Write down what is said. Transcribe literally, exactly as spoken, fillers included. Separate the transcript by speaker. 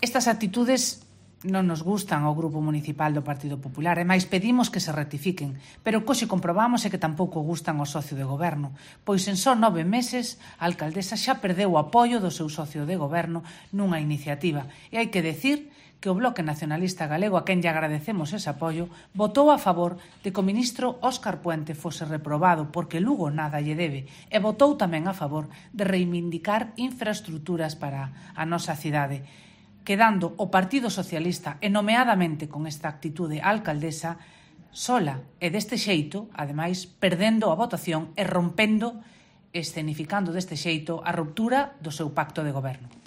Speaker 1: Estas actitudes non nos gustan ao Grupo Municipal do Partido Popular e máis pedimos que se rectifiquen, pero o que xe comprobamos é que tampouco gustan ao socio de goberno, pois en só nove meses a alcaldesa xa perdeu o apoio do seu socio de goberno nunha iniciativa e hai que decir que o Bloque Nacionalista Galego, a quen lle agradecemos ese apoio, votou a favor de que o ministro Óscar Puente fose reprobado porque Lugo nada lle debe e votou tamén a favor de reivindicar infraestructuras para a nosa cidade, quedando o Partido Socialista e nomeadamente con esta actitude a alcaldesa sola e deste xeito, ademais, perdendo a votación e rompendo, escenificando deste xeito a ruptura do seu pacto de goberno.